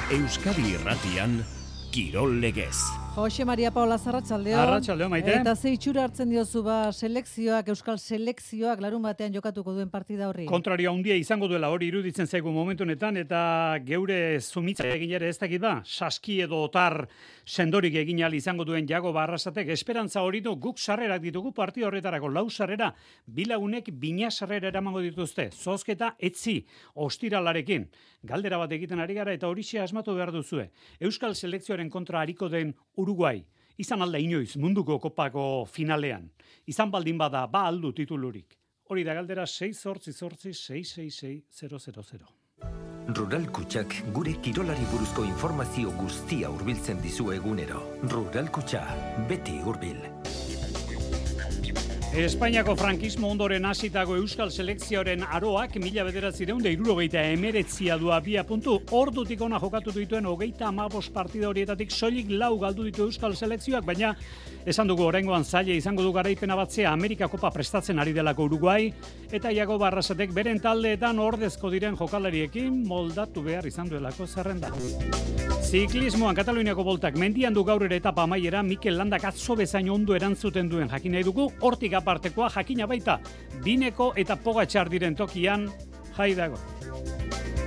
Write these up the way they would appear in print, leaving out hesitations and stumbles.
Euskadi Irratian, Kirol Legez. Jose Maria Paula Arratsaldeon. Arratsaldeon, Maite. Eta ze itxura hartzen diozu selekzioak, euskal selekzioak larun batean jokatuko duen partida horri? Kontrario handia izango duela hori iruditzen zaigu momentu honetan, eta geure zumitza egin ere ez dakit ba, saski edo otar sendorik egin ahal izango duen Jago Arrasatek esperantza hori du. Guk sarrerak ditugu partida horretarako, 4 sarrera, bilagunek 2 sarrera eramango dituzte. Zozketa etzi ostiralarekin. Galdera bat egiten ari gara eta horixe asmatu behar duzue. Euskal selekzioaren kontra hariko den Uruguai, izan alda inoiz munduko kopako finalean. Izan baldin bada, ba aldu titulurik. Hori da galdera 6-8-666-000. Rural Kutxak gure kirolari buruzko informazio guztia hurbiltzen dizu egunero. Rural Kutxa, beti hurbil. Espainiako frankismo ondoren hasitako euskal selekzioaren aroak 1979 du abia puntu. Ordutik ona jokatu dituen 35 partida horietatik soilik 4 galdu ditu euskal selekzioak, baina esan dugu oraingoan zaila izango du garaipena batzea Amerika Kopa prestatzen ari delako Uruguai, eta Jago Arrasatek beren taldeetan ordezko diren jokalariekin moldatu behar izan duelako zerrenda. Ziklismoan Kataluniako boltak mendian du gaur ere etapa amaiera. Mikel Landak atzo bezain ondo erantzuten duen jakin nahi dugu. Hortik apartekoa jakina baita Bineko eta Pogačar diren tokian jai dago.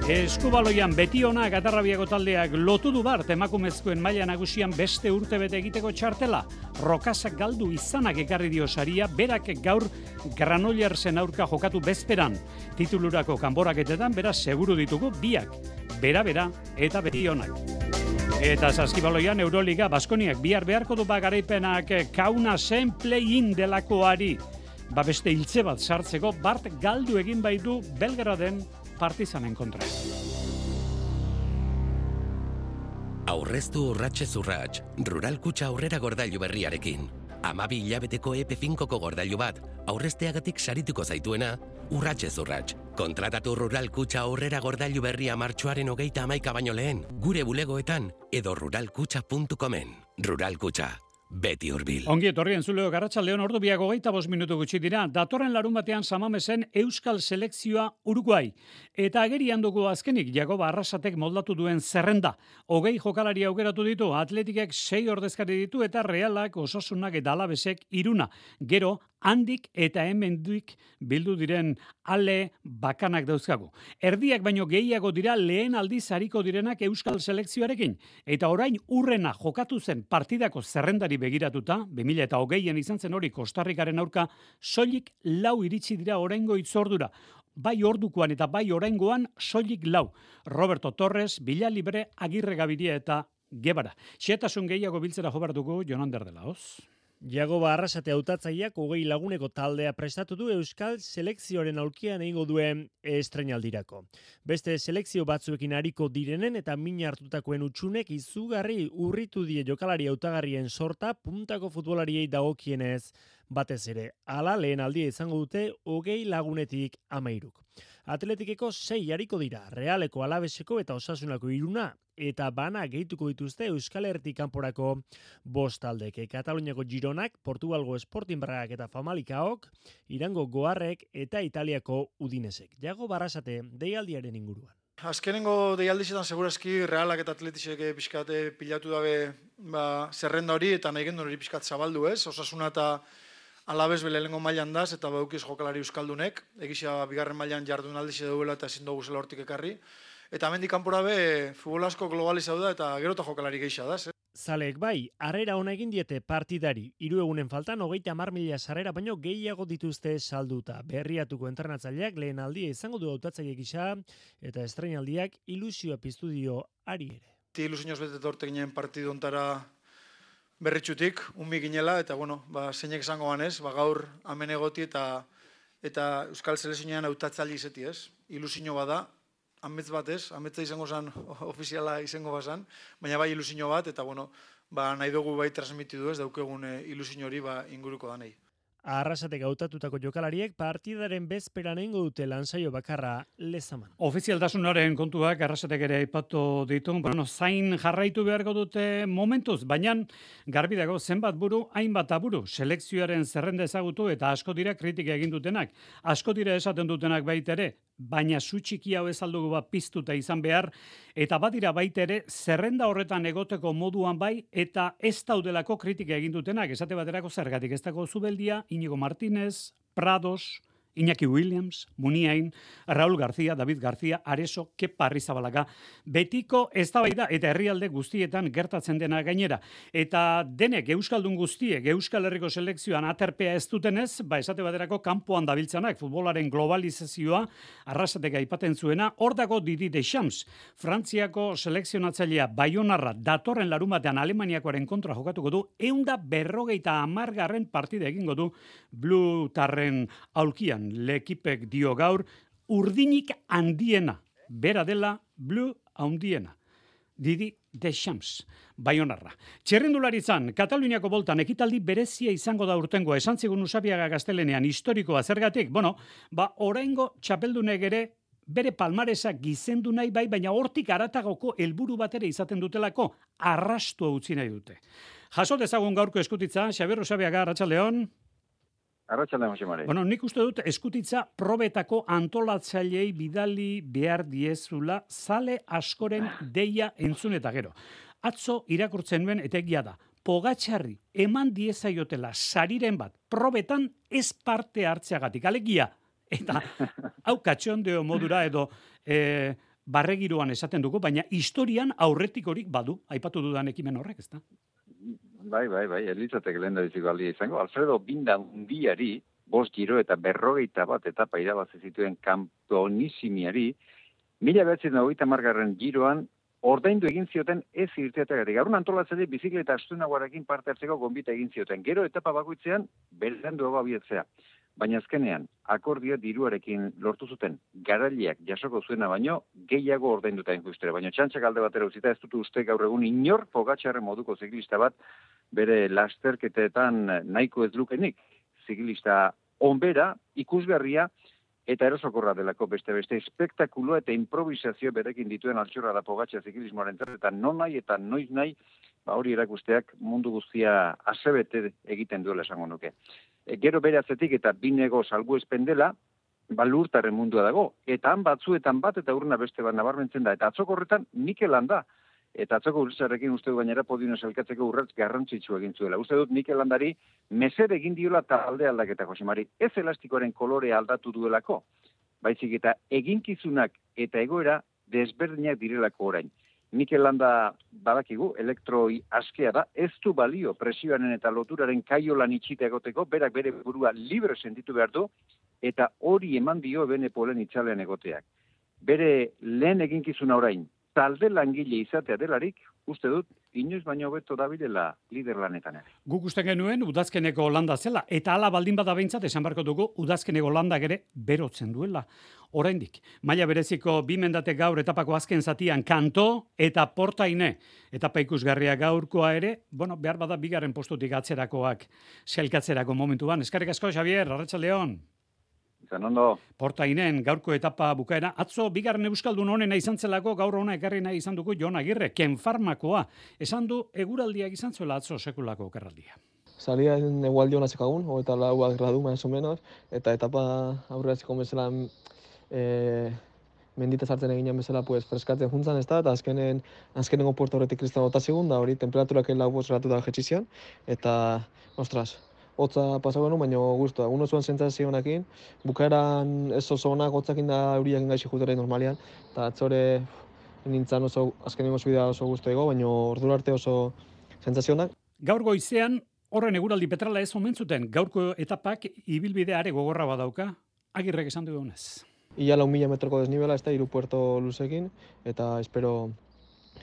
Eskubaloian Betiona Gatarrabiako taldeak lotu du bart emakumezkoen maila nagusian beste urtebete egiteko txartela. Rokasak galdu izanak ekarri dio saria, berak gaur Granollersen aurka jokatu bezperan. Titulurako kanboraketetan beraz seguru ditugu biak, bera eta Betionak. Eta saskibaloian Euroliga Baskoniak bihar beharko du garaipenak Kaunasen play-in delakoari. Beste hiltze bat sartzeko bart galdu egin baitu Belgraden Partizanen kontra. Aurreztu urratsez urrats, Rural Kutxa aurrera gordailu berriarekin. 12 hilabeteko EP5ko gordailu bat, aurrezteagatik sarituko zaituena, urratsez urrats. Kontratatu Rural Kutxa aurrera gordailu berria martxoaren 31 baino lehen, gure bulegoetan edo ruralkutxa.comen. Rural Kutxa, beti hurbil. Ongi etorri entzuleo Arratsaldeon, ordu biak 25 minutu gutxi dira. Datorren larun batean Samamesen euskal selekzioa Uruguai. Eta agerian dugu azkenik Jago Arrasatek moldatu duen zerrenda. 20 jokalari aukeratu ditu, Atletikek 6 ordezkari ditu eta Realak, Osasunak eta Alavesek 3. Gero, handik eta hemendik bildu diren ale bakanak dauzkagu. Erdiak baino gehiago dira lehen aldiz ariko direnak euskal selekzioarekin. Eta orain urrena jokatu zen partidako zerrendari begiratuta, 2020an izan zen hori Kostarrikaren aurka, soilik 4 iritsi dira oraingo itzordura. Bai ordukoan eta bai oraingoan soilik 4. Roberto Torres, Villalibre, Agirre Gabiria eta Gebara. Xehetasun gehiago biltzera jobartuko Jonander de Laoz. Jago Arrasate hautatzaileak 20 laguneko taldea prestatu du euskal selekzioaren aulkian egingo duen estreinaldirako. Beste selekzio batzuekin ariko direnen eta min hartutakoen utxunek izugarri urritu die jokalari hautagarrien sorta puntako futbolariei dagokienez batez ere. Hala lehen aldia izango dute 20 lagunetik 13. Atletikeko 6 ariko dira, Realeko, Alaveseko eta Osasunako 3 eta bana gehituko dituzte Euskal Herritik kanporako 5 taldeke. Kataluniako Gironak, Portugalgo Sporting Bragak eta Famalikaok, Irango Goarrek eta Italiako Udinesek. Jago Arrasate deialdiaren inguruan. Azkenengo deialdizetan segurazki Realak eta Atletisek pixkate pilatu dabe zerrenda hori eta nahi gendun hori pixkat zabaldu ez. Osasuna eta Alaves lehenengo mailan daz eta baukiz jokalari euskaldunek. Egizia bigarren mailan jardun aldize duela eta ezin dugu zela hortik ekarri. Eta hemendik kanpora be futbol asko globalizatu da eta gerota jokalari gehiago da. Zaleek bai, harrera ona egin diete partidari. 3 egunen faltan 30.000 sarrera baino gehiago dituzte salduta. Berriatuko entrenatzaileak lehen aldia izango du hautatzaile gisa eta estreinaldiak ilusioa piztu dio ari ere. Ilusioz bete torte ginen partidu ontara berritxutik, unbi ginela, eta zeinek izango ganez, gaur hemen egoti eta Euskal Selekzioan hautatzaile izeti ez. Ilusio bada, amets bat ez, ametza izango zan, ofiziala izango bazan, baina bai ilusio bat, eta nahi dugu bai transmitidu ez, daukegun ilusio hori inguruko danei. Arrasatek hautatutako jokalariek partidaren bezperan egingo dute lansaio bakarra Lezaman. Ofizialtasunaren kontuak Arrasatek ere aipatu ditu, zain jarraitu beharko dute momentuz, baina garbi dago zenbat buru, hainbat aburu, selekzioaren zerrenda ezagutu eta asko dira kritika egin dutenak. Asko dira esaten dutenak baita ere, baina zu txiki hau ez aldugu piztuta izan behar, eta badira baita ere, zerrenda horretan egoteko moduan bai, eta ez daudelako kritika egin dutenak, esate baterako zergatik, ez dago Zubeldia, Inigo Martínez, Prados, Iñaki Williams, Muniain, Raúl García, David García, Areso, Kepa Arrizabalaga, betiko eztabaida eta herrialde guztietan gertatzen dena gainera. Eta denek euskaldun guztiek Euskal Herriko selekzioan aterpea ez dutenez, esate baterako kanpoan dabiltzanak futbolaren globalizazioa Arrasatek aipatzen zuena, hor dago Didi Deschamps, Frantziako selekzionatzailea Baionarra datorren larumatean Alemaniakoaren kontra jokatuko du, 150. partida egingo du Blutarren aulkian. Lekipek dio gaur, urdinik handiena, bera dela Blue handiena. Didi Deschamps, Baionarra. Txerrendularitzan, Kataluniako boltan ekitaldi berezia izango da urtengo, esan zigun Usabiaga Gaztelenean historikoa zergatik, oraingo txapeldunek ere bere palmaresa gizendu nahi bai, baina hortik aratagoko helburu bat ere izaten dutelako, arrastua utzi nahi dute. Jaso dezagun gaurko eskutitza, Xabier Usabiaga, Arratsaldeon. Arratsaldeon, Jose Mari. Nik uste dut eskutitza probetako antolatzaileei bidali behar diezula zale askoren deia entzun eta gero. Atzo irakurtzen nuen eta egia da. Pogatxarri eman diezaiotela sariren bat probetan ez parte hartzeagatik. Alegia, eta hau katxondeo modura edo barregiroan esaten dugu, baina historian aurretik horik badu, aipatu dudan ekimen horrek, ezta? Bai, elitzatek lehen da dizik baldia izango. Alfredo Binda Undiari, 5 giro eta 41 etapa irabazi zituen Campeonisimiari, 1990 giroan ordaindu egin zioten ez irteategatik. Gaurun antolatzaile bizikleta astunagoarekin parte hartzeko gonbita egin zioten. Gero etapa bakoitzean beranduago abietzea. Baina azkenean, akordio diruarekin lortu zuten garaileak jasoko zuena baino, gehiago ordainduta injustere. Baina txantxak alde batera utzita ez dut uste gaur egun inor Pogatxarren moduko ziklista bat bere lasterketetan nahiko ez lukenik. Ziklista onbera, ikusgarria eta erosokorra delako beste espektakulo eta improvisazio berekin dituen altxorra da Pogatxar ziklismoaren zerretan non nahi eta noiz nahi, hori erakusteak mundu guztia asebete egiten duela esango nuke. Gero bere atzetik eta binego salbuespen dela, Lurtarren mundua dago. Eta han batzuetan bat eta urruna beste bat nabarmentzen da. Eta atzoko horretan Mikel Landa. Eta atzoko urtzarekin uste dut gainera podiono elkatzeko urratz garrantzitsu egin zuela. Uste dut Mikel Landari mesede egin diola talde aldaketa, Jose Mari. Ez elastikoaren kolorea aldatu duelako. Baizik eta eginkizunak eta egoera desberdinak direlako orain. Mikel Landa badakigu, elektroi askea da, ez du balio presioaren eta loturaren kaiolan itxita egoteko, berak bere burua libre sentitu behar du, eta hori eman dio bene polen itxalean egoteak. Bere lehen eginkizuna orain, talde langile izatea delarik, uste dut, inoiz baino hobeto dabilela lider lanetan ere. Guk uste genuen udazkeneko landa zela, eta hala baldin bada behintzat esan barko dugu udazkeneko landak ere berotzen duela. Oraindik, maila bereziko 2 mendate gaur etapako azken zatian Kanto eta Portaine etapa ikusgarria gaurkoa ere, behar bada 2. postutik atzerakoak sailkatzerako momentuan. Eskerrik asko, Xabier, Arratsaldeon. Ondo. Portainen gaurko etapa bukaera. Atzo, 2. euskaldun honena izan zelako, gaur hona ekarri nahi izan dugu Jon Agirre, Kenfarmakoa. Esan du, eguraldiak izan zuela atzo sekulako okerraldia. Salía en egualdi hona zekagun, 24 gradu, más o menos, eta etapa aurreratzeko bezala mendita sartzen eginan bezala freskatzen juntzan, ez da, eta azkenengo puerto horretik kristal bota zigun, da hori temperaturak 4 gradu da jetxizian, eta, ostras, hotza pasago genuen, baina guztua. Uno zuen sentsazionakin, bukaeran ez oso onak, hotzakin da euriak gaixi jutera normalian, eta atzore nintzen oso, azkenengo zubida oso guztu baina ordura arte oso sentsazionak. Gaur goizean, horren eguraldi petrala ez omen zuten, gaurko etapak ibilbide are gogorra badauka, Agirrek esan dugunez. Ia 4.000 metroko desnibela, ez da, 3 puerto luzekin, eta espero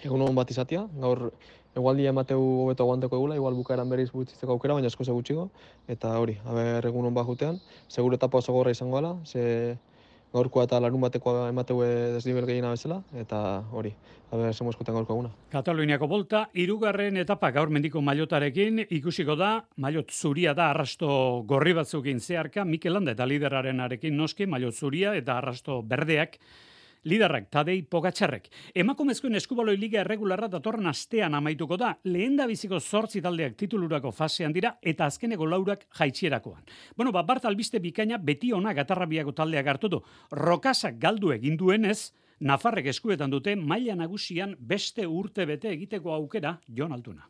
egun hon bat izatea. Gaur egualdia emateu hobeto aguanteko egula, igual bukaeran berriz gutxitzeko aukera, baina asko gutxiko, eta hori, egun hon bat jutean. Seguro etapa oso gorra izango ala, ze gaurkoa eta larun batekoa emateu desnibel gehiena bezala, eta hori, zemo eskutan gaurko eguna. Kataluniako bolta, 3. etapa gaur mendiko mailotarekin, ikusiko da, mailot zuria da arrasto gorri batzukin zeharka, Mikel Landa eta lideraren arekin noski, mailot zuria eta arrasto berdeak, Liderrak Tadej Pogačarrek. Emakumezkoen eskubaloi liga erregularra datorren astean amaituko da. Lehendabiziko 8 taldeak titulurako fasean dira eta azkeneko 4 jaitsierakoan. Bueno, bart albiste bikaina beti ona Gatarrabiako taldeak hartu du. Rokasak galdu egin duenez, Nafarrek eskuetan dute maila nagusian beste urte bete egiteko aukera Jon Altuna.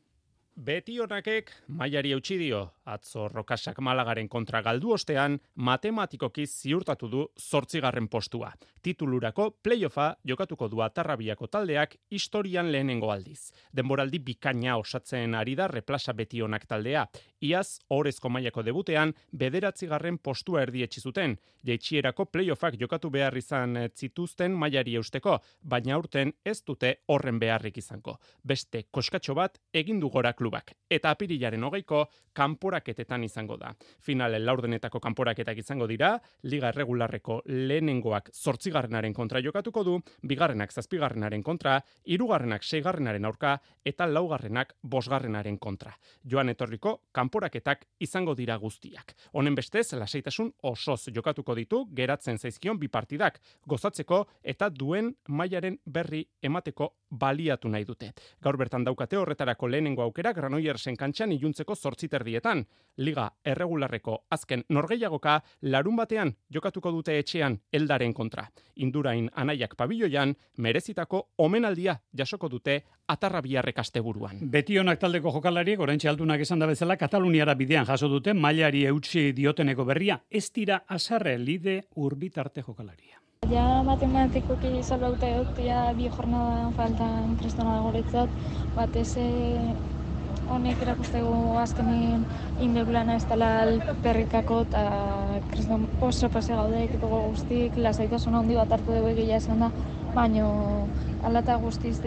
Beti honakek mailari eutsi dio, atzo Rokasak Malagaren kontra galdu ostean, matematikoki ziurtatu du 8. postua. Titulurako playoffa jokatuko du Atarrabiako taldeak historian lehenengo aldiz. Denboraldi bikaina osatzen ari da replasa beti honak taldea. Iaz, orezko mailako debutean, 9. postua erdietsi zuten. Jaitsierako playoffak jokatu behar izan zituzten mailari eusteko, baina aurten ez dute horren beharrik izango. Beste koskatxo bat egin du gora klubak. Eta apirilaren 20ko kanporaketetan izango da. Finalen laurdenetako kanporaketak izango dira, liga erregularreko lehenengoak 8. kontra jokatuko du, 2. 7. kontra, 3. 6. aurka, eta 4. 5. kontra. Joan etorriko kanporaketak izango dira guztiak. Honen bestez, lasaitasun osoz jokatuko ditu, geratzen zaizkion 2 partidak, gozatzeko eta duen mailaren berri emateko baliatu nahi dute. Gaur bertan daukate horretarako lehenengo aukera Granoillersen kantxan iluntzeko 8:30. Liga erregularreko azken norgehiagoka larunbatean jokatuko dute etxean Eldaren kontra. Indurain anaiak pabilloian merezitako omenaldia jasoko dute Atarrabiarrek asteburuan. Beti honak taldeko jokalariek oraintxe Altunak esan da bezala Kataluniara bidean jaso dute mailari eutsi dioteneko berria. Ez dira azarre lide urbitarte jokalaria. Ja matematikoki salbauta egotia 2 jornada faltan kristona goretzat, batez honek erakustegu azkenen indeulana ez dela perrikako eta kriston oso pase gaude ekipo guztik, lasaitasun handi bat hartu dugu egia esan da, baino alata guztiz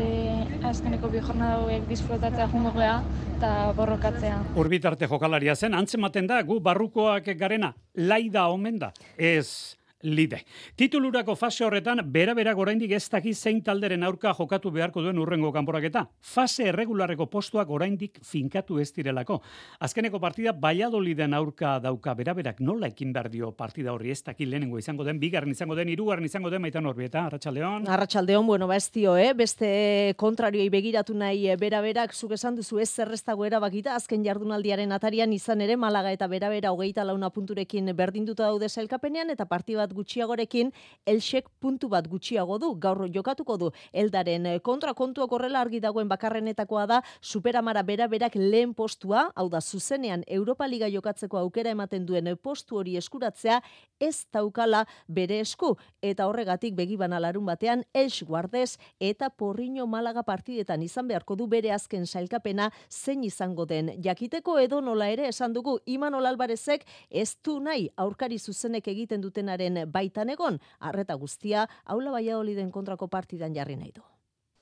azkeneko 2 jornada hauek disfrutatzea jungo gea eta borrokatzea. Urbitarte jokalaria zen, antzematen da, gu barrukoak garena, laida omen da, ez lide. Titulurako fase horretan, bera-berak oraindik ez daki zein talderen aurka jokatu beharko duen urrengo kanporaketa. Fase erregularreko postuak oraindik finkatu ez direlako. Azkeneko partida Valladoliden aurka dauka bera-berak nola ekin behar dio partida horri, ez daki lehenengo izango den, 2. izango den, 3. izango den, Maitan Orbieta, Arratsaldeon. Arratsaldeon, bueno, ez dio, beste kontrarioi begiratu nahi bera-berak, zuk esan duzu ez zerreztago erabakita, azken jardunaldiaren atarian izan ere Malaga eta bera-bera 24 punturekin berdinduta daude sailkapenean eta partida bat gutxiagorekin Elxek puntu bat gutxiago du, gaur jokatuko du Eldaren kontra. Kontuak horrela argi dagoen bakarrenetakoa da Superamara bera-berak lehen postua, hau da zuzenean Europa Liga jokatzeko aukera ematen duen postu hori eskuratzea ez daukala bere esku, eta horregatik begibana larun batean Elx Guardez eta Porriño Malaga partidetan izan beharko du bere azken sailkapena zein izango den jakiteko, edo nola ere esan dugu Imanol Alvarezek ez du nahi aurkari zuzenek egiten dutenaren baitan egon, arreta guztia Aula Valladoliden kontrako partidan jarri nahi du.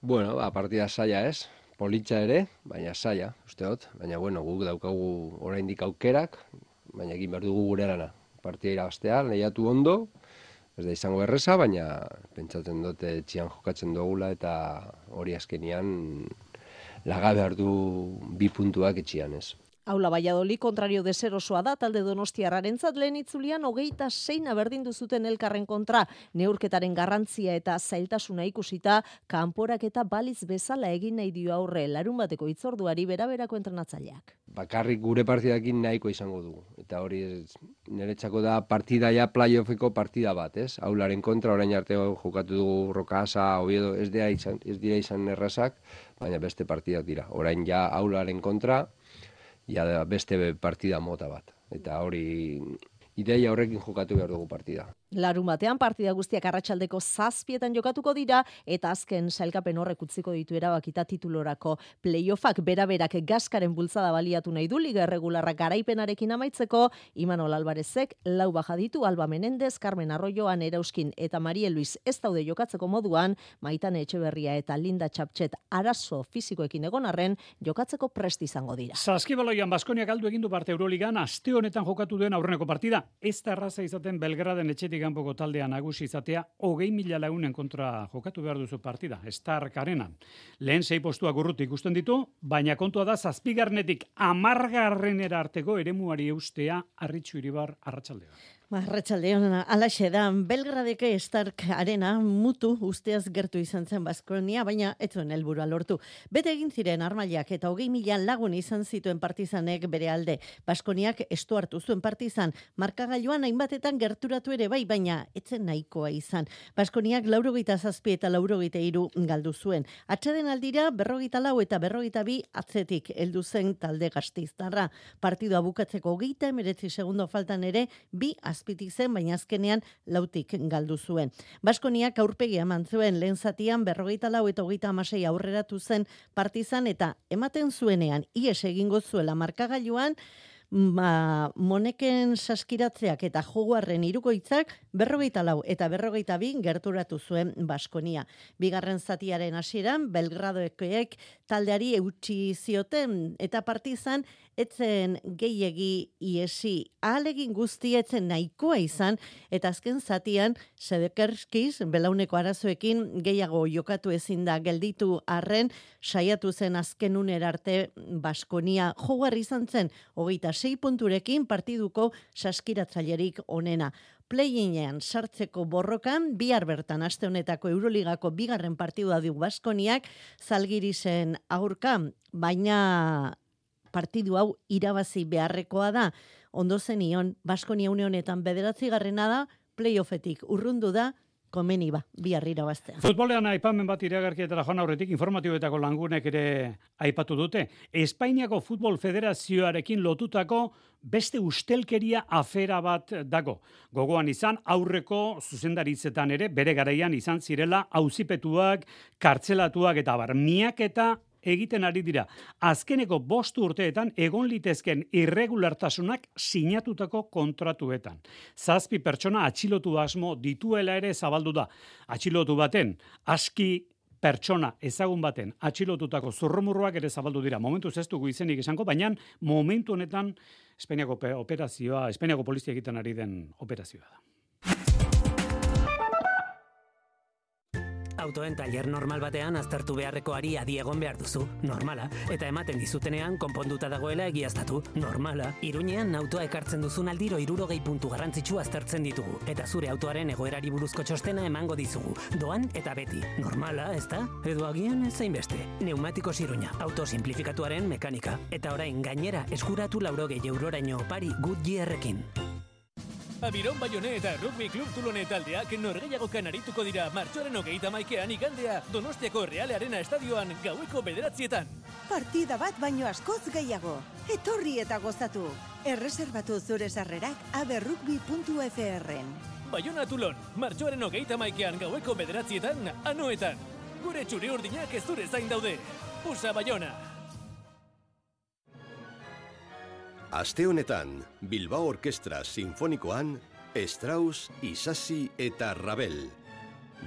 Bueno, partida saia ez, politxa ere, baina saia, usteot, baina bueno, guk daukagu oraindik aukerak, baina egin behar dugu gure lana. Partida irabaztea, lehiatu ondo, ez da izango erreza, baina pentsatzen dute etxian jokatzen dugula eta hori azkenian laga behar du 2 puntuak etxian ez. Aula Valladolid kontrario deserosoa da, talde donostiarrarentzat lehen itzulian 26 berdindu zuten elkarren kontra, neurketaren garrantzia eta zailtasuna ikusita, kanporaketa baliz bezala egin nahi dio aurre, larunbateko hitzorduari bera-berako entrenatzaileak. Bakarrik gure partidakin nahiko izango dugu, eta hori niretzako da partida ja playoffeko partida bat, ez? Aularen kontra, orain arte jokatu dugu Rokasa, Oviedo, ez dira izan errazak, baina beste partidak dira. Orain ja Aularen kontra, ja beste partida mota bat. Eta hori ideia horrekin jokatu behar dugu partida. Larun batean partida guztiak arratsaldeko 7 jokatuko dira eta azken sailkapen horrek utziko ditu erabakita titulorako playoffak. Bera-berak gaskaren bultzada baliatu nahi du liga erregularra garaipenarekin amaitzeko. Imanol Alvarezek 4 baja ditu, Alba Menendez, Carmen Arroyo, Ana Erauskin eta Marie Luis ez daude jokatzeko moduan, Maitane Etxeberria eta Linda Txaptxet arazo fisikoekin egon arren jokatzeko prest izango dira. Saskibaloian Baskoniak galdu egin du parte Euroligan, aste honetan jokatu duen aurreneko partida. Ez da erraza izaten Belgraden etxetik kanpoko taldea nagusi izatea, 20.000 lagunen kontra jokatu behar duzu partida, Stark Arenan. Lehen 6 postuak urruti ikusten ditu, baina kontua da 7. 10. arteko eremuari eustea Arritxu Iribar Arratsaldean. Arratsaldeon, alaxe da, Belgradeke Stark Arena mutu usteaz gertu izan zen Baskonia, baina ez zuen helburua lortu. Bete egin ziren armailak eta 20.000 lagun izan zituen Partizanek bere alde. Baskoniak estu hartu zuen Partizan, markagailuan hainbatetan gerturatu ere bai, baina etzen nahikoa izan. Baskoniak 87 eta 83 galdu zuen. Atxeden aldira 44 eta 42 atzetik heldu zen talde gasteiztarra. Partidua bukatzeko 39 segundo faltan ere bi azpitik zen, baina azkenean lautik galdu zuen. Baskoniak aurpegia eman zuen, lehen zatian 44 eta 36 aurreratu zen Partizan eta ematen zuenean ies egingo zuela markagailuan, Moneken saskiratzeak eta joguarren hirukoitzak 44 eta 42 gerturatu zuen Baskonia. Bigarren zatiaren hasieran Belgradoekoek taldeari eutsi zioten eta Partizan etzen gehiegi iesi. Ahalegin guztietzen nahikoa izan eta azken zatian Sedekerskiz belauneko arazoekin gehiago jokatu ezin da gelditu arren saiatu zen azken unera arte Baskonia joguarri izan zen 26 punturekin partiduko saskiratzailerik onena. Play-inean sartzeko borrokan, bihar bertan aste honetako Euroligako bigarren partidua du Baskoniak Zalgirisen aurka, baina partidu hau irabazi beharrekoa da. Ondo zenion, Baskonia une honetan 9. da, playoffetik urrundu da, komeni ba, bihar irabaztea. Futbolean aipamen bat iragarkietara joan aurretik informatiboetako langunek ere aipatu dute. Espainiako Futbol Federazioarekin lotutako beste ustelkeria afera bat dago. Gogoan izan aurreko zuzendaritzetan ere bere garaian izan zirela auzipetuak, kartzelatuak eta barmiak eta egiten ari dira. Azkeneko 5 urteetan egon litezken irregulartasunak sinatutako kontratuetan. 7 pertsona atxilotu asmo dituela ere zabaldu da. Atxilotu baten, aski pertsona ezagun baten atxilotutako zurrumurruak ere zabaldu dira. Momentuz ez dugu izenik esango, baina momentu honetan Espainiako operazioa, Espainiako polizia egiten ari den operazioa da. Autoen tailer normal batean aztertu beharrekoari adi egon behar duzu, normala, eta ematen dizutenean konponduta dagoela egiaztatu, normala. Iruñean autoa ekartzen duzun aldiro 60 puntu garrantzitsu aztertzen ditugu, eta zure autoaren egoerari buruzko txostena emango dizugu, doan eta beti, normala, ezta? Edo agian ez zainbeste. Neumatikos Iruña, auto simplifikatuaren mekanika, eta orain gainera eskuratu 80 euroraino opari Goodyearrekin. Abiron Bayone eta Rugby Club Tulone taldeak norgehiagokan arituko dira martxoaren 31ean igandea Donostiako Real Arena estadioan gaueko 9:00. Partida bat baino askoz gehiago. Etorri eta gozatu. Erreserbatu zure sarrerak aberrugby.fr-en. Bayona Tulon, martxoaren 31ean gaueko 9:00 Anoetan. Gure txuri urdinak ez zure zain daude. Pusa Bayona. Aste honetan, Bilbao Orkestra Sinfonikoan, Strauss, Isasi eta Ravel.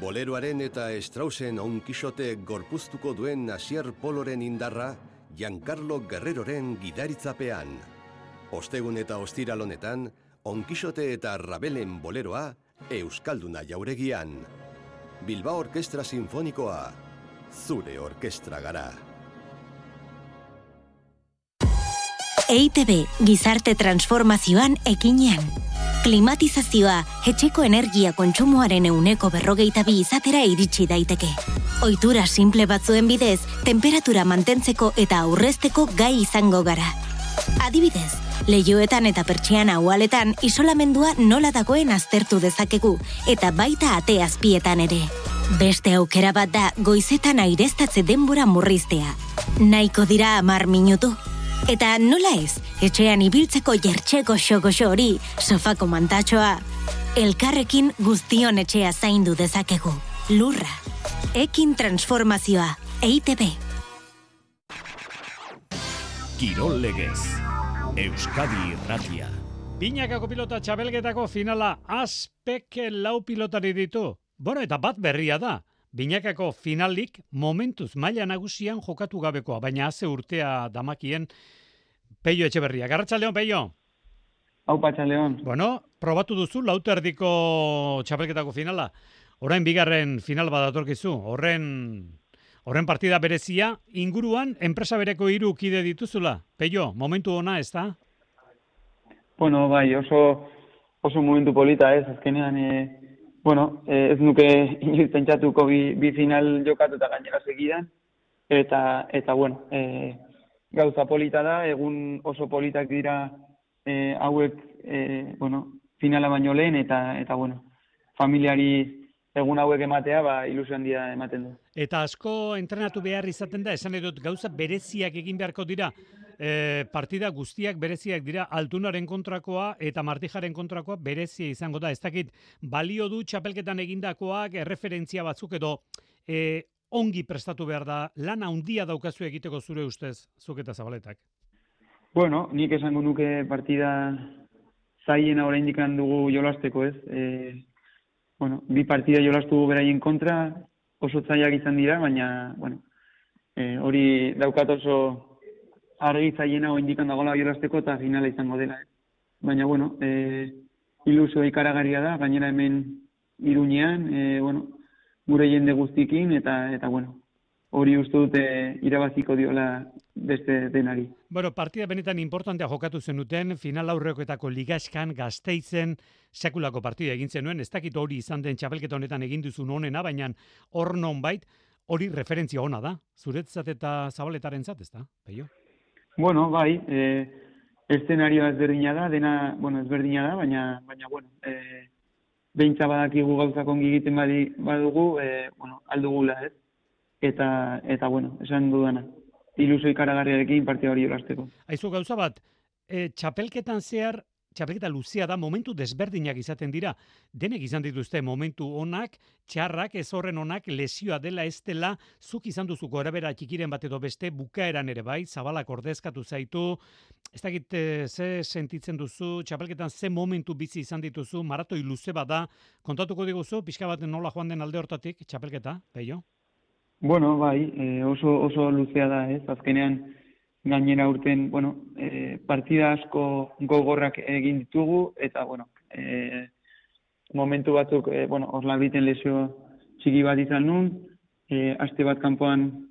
Boleroaren eta Straussen onkixote gorpuztuko duen Asier Poloren indarra, Giancarlo Guerreroren gidaritzapean. Ostegun eta ostiral honetan, onkixote eta Ravelen boleroa, Euskalduna jauregian. Bilbao Orkestra Sinfonikoa, zure orkestra gara. EITB gizarte transformazioan ekinean. Klimatizazioa etxeko energia kontsumoaren 42% izatera iritsi daiteke. Ohitura simple batzuen bidez, temperatura mantentzeko eta aurrezteko gai izango gara. Adibidez, leihoetan eta pertsiana ualetan isolamendua nola dagoen aztertu dezakegu, eta baita ate azpietan ere. Beste aukera bat da goizetan aireztatze denbora murriztea. Nahiko dira 10 minutu. Eta nola ez, etxean ibiltzeko jertxeko xogoxo hori, sofako mantatxoa. Elkarrekin guztion etxea zaindu dezakegu. Lurra. Ekin transformazioa. EITB. Kirol legez. Euskadi Irratia. Binakako pilota txabelgetako finala Azpek 4 pilotari ditu. Bueno, eta bat berria da. Binakako finalik momentuz maila nagusian jokatu gabekoa, baina haze urtea damakien Peio Etxeberria. Arratsaldeon, Peio. Aupa, Arratsaldeon. Bueno, probatu duzu lauterdiko txapelketako finala. Orain bigarren final bat datorkizu. Horren partida berezia inguruan enpresa bereko 3 kide dituzula. Peio, momentu ona, ez da? Bueno, bai, oso oso momentu polita, ez, azkenean, ez nuke inoiz pentsatuko bi final jokatu eta gainera segidan, eta gauza polita da, egun oso politak dira hauek, finala baino lehen, eta familiari egun hauek ematea, ilusio handia ematen du. Eta asko entrenatu behar izaten da, esan edut gauza bereziak egin beharko dira, partida guztiak bereziak dira, Altunaren kontrakoa eta Martijaren kontrakoa berezia izango da. Ez dakit, balio du txapelketan egindakoak, erreferentzia batzuk edo ongi prestatu behar da, lan handia daukazu egiteko zure ustez, zuk eta Zabaletak. Bueno, nik esango nuke partida zaiena oraindik dugu jolasteko, ez? Bi partida jolastu beraien kontra, oso zailak izan dira, baina, hori daukat oso argi zaiena oraindik dagoela jolasteko eta finala izango dela. Baina, ilusio ikaragarria da, gainera hemen Iruñean, gure jende guztikin, eta hori uste dute irabaziko diola beste denari. Partida benetan importantea jokatu zenuten, final aurrekoetako ligaskan Gasteizen sekulako partida egin zenuen, ez dakit hori izan den txapelketa honetan egin duzun honena, baina hor nonbait hori referentzia ona da, zuretzat eta Zabaletarentzat, ez da, Peio? Bai, eszenarioa ezberdina da, dena, ezberdina da, baina beintza badakigu gauzak ongi egiten badugu, aldugula, ez? Eta esan dudana, ilusio ikaragarriarekin partida hori jolasteko. Aizu gauza bat, txapelketan zehar, txapelketa luzea da, momentu desberdinak izaten dira. Denek izan dituzte momentu onak, txarrak, ez horren onak, lesioa dela ez dela, zuk izan duzu gorabera txikiren bat edo beste, bukaeran ere bai, Zabalak ordezkatu zaitu, ez dakit ze sentitzen duzu, txapelketan ze momentu bizi izan dituzu, maratoi luze bat da, kontatuko diguzu, pixka bat nola joan den alde hortatik, txapelketa, Peio? Bai, oso luzea da, ez, azkenean gainera urten, partida asko gogorrak egin ditugu, eta, momentu batzuk, Orlabiten lesio txiki bat izan nun, aste bat kanpoan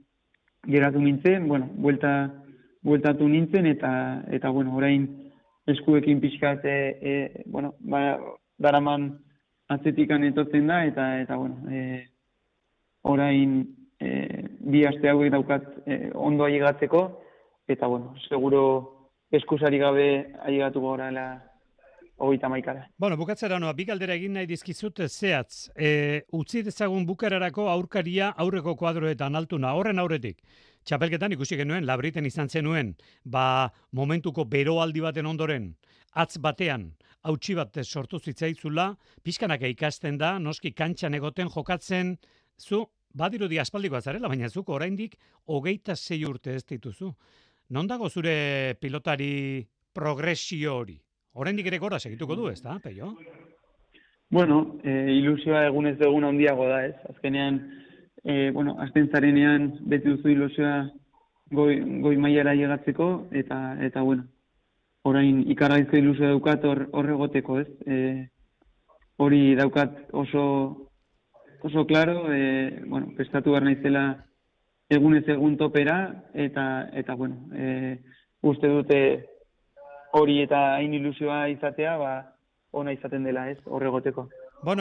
geratu nintzen, bueltatu nintzen, eta orain eskuekin pixkat, daraman atzetikan etortzen da, eta orain bi aste hauek daukat ondo ailegatzeko, eta, seguro eskusari gabe ailegatuko gorala 31. Bukatzera noa, bi galdera egin nahi dizkizut zehatz. Utzi dezagun bukararako aurkaria aurreko kuadroetan Altuna, horren aurretik. Txapelketan ikusi genuen, Labriten izan zenuen, momentuko beroaldi baten ondoren, atz batean, hautsi bat sortu zitzaitzula, pixkanaka ikasten da, noski kantxan egoten jokatzen, zu, badirudi aspaldikoa zarela, baina zuk oraindik 26 urte ez dituzu. Non dago zure pilotari progresio hori? Oraindik ere gora segituko du, ez da, Peio? Ilusioa egunez egun handiago da, ez? Azkenean, azten zarenean beti duzu ilusioa goi mailara llegatzeko, eta orain ikarraizko ilusioa daukat hor egoteko, ez? Hori daukat oso claro, prestatu behar naizela egunez egun topera, eta uste dute hori eta hain ilusioa izatea, ona izaten dela, ez, horregoteko.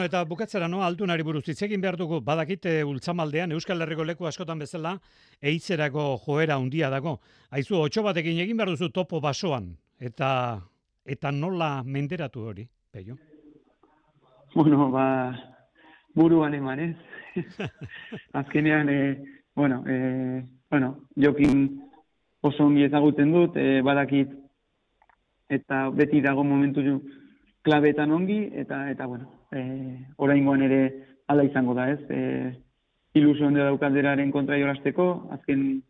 Eta bukatzera Altunari buruz hitz egin behar dugu, badakite Ultzamaldean, Euskal Herriko leku askotan bezala, eitzerako joera handia dago. Aizu, 8 batekin egin behar duzu topo basoan, eta nola menderatu hori, Peio? Buruan eman, ez? Azkenean, jokin oso ongi ezagutzen dut, badakit, eta beti dago momentu klabetan ongi, eta oraingoan ere ala izango da, ez? Ilusio onde daukalderaren kontra jolasteko, azken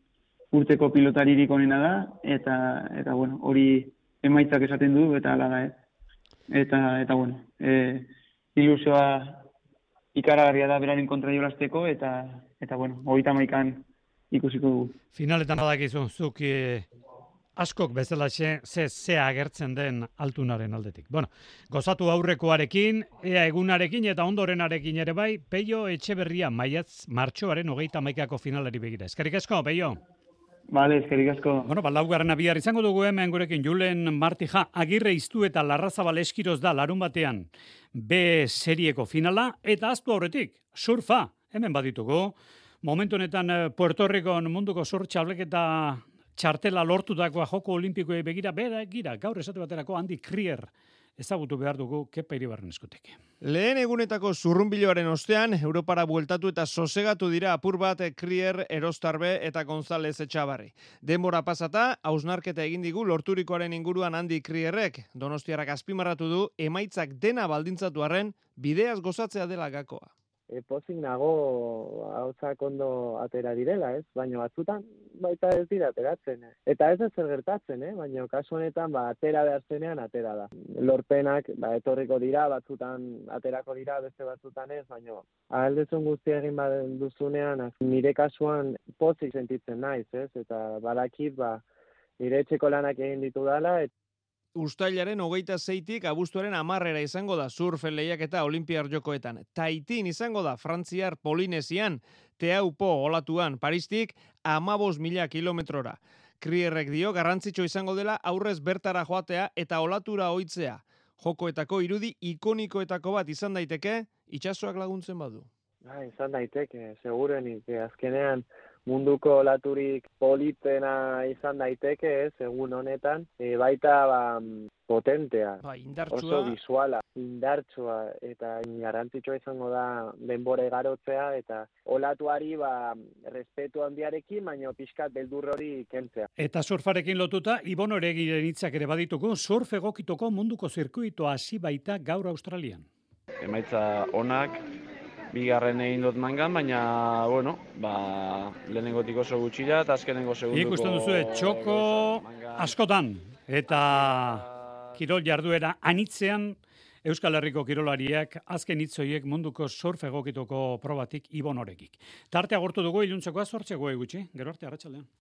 urteko pilotaririk onena da, eta hori emaitzak esaten du, eta ala da, ez? Eta ilusioa ikaragarria da beraren kontra jolasteko, eta 31an ikusiko dugu. Finaletan badakizu, zuk askok bezala ze agertzen den Altunaren aldetik. Gozatu aurrekoarekin, ea egunarekin eta ondorenarekin ere bai, Peio Etxeberria martxoaren 31ko finalari begira. Eskerrik asko, Peio. Bale, eskerrik asko. Bueno, laugarrena bihar izango dugu hemen gurekin Julen Martija, Agirre Iztu eta Larrazabal Eskiroz da larun batean B serieko finala, eta aztu aurretik, surfa, hemen baditugu. Momentu honetan Puerto Ricon munduko surf txableketa txartela lortutakoa joko olimpikoei begira, gaur esate baterako Andy Krier ezagutu behar dugu Kepa Iribarren eskutik. Lehen egunetako zurrunbiloaren ostean, Europara bueltatu eta sosegatu dira apur bat Krier, Erostarbe eta González Etxabarri. Denbora pasata, hausnarketa egin digu lorturikoaren inguruan Andy Krierrek. Donostiarrak azpimarratu du, emaitzak dena baldintzatu arren, bideaz gozatzea dela gakoa. Pozik nago hauzak ondo atera direla, ez? Baina batzutan baita ez dira ateratzen. Eta ez zer gertatzen, baina kasu honetan atera behar zenean atera da. Lorpenak etorriko dira, batzutan aterako dira, beste batzutan ez, baina ahaldezun guztia egin duzunean, nire kasuan pozik sentitzen naiz, ez? Eta badakit nire etxeko lanak egin ditu dela, Uztailaren 26tik abuztuaren 10 izango da surfen lehiaketa Olimpiar Jokoetan. Taitin izango da Frantziar Polinesian, Teaupo olatuan Paristik 15.000 kilometrora. Krierrek dio garrantzitsu izango dela aurrez bertara joatea eta olatura ohitzea. Jokoetako irudi ikonikoetako bat izan daiteke, itsasoak laguntzen badu. Izan daiteke, segurenik, azkenean munduko olaturik politena izan daiteke, egun honetan, baita potentea, indartsua. oso visuala, indartsua, eta garrantzitsua izango da denbora igarotzea, eta olatuari respetu handiarekin, baina pixkat beldur hori kentzea. Eta surfarekin lotuta, Ibon Oregiren hitzak ere badituko, surf egokituko munduko zirkuitoa hasi baita gaur Australian. Emaitza onak, bigarren egin dut mangan, baina, lehenengotik oso gutxira, eta azkenengo segunduko... Ikusten duzu, txoko askotan, eta kirol jarduera anitzean, Euskal Herriko kirolariak azken hitzoiek munduko surf egokituko probatik Ibon Oregik. Tartea gortu dugu iluntzekoa 8 gutxi, gero arte arratsaldean.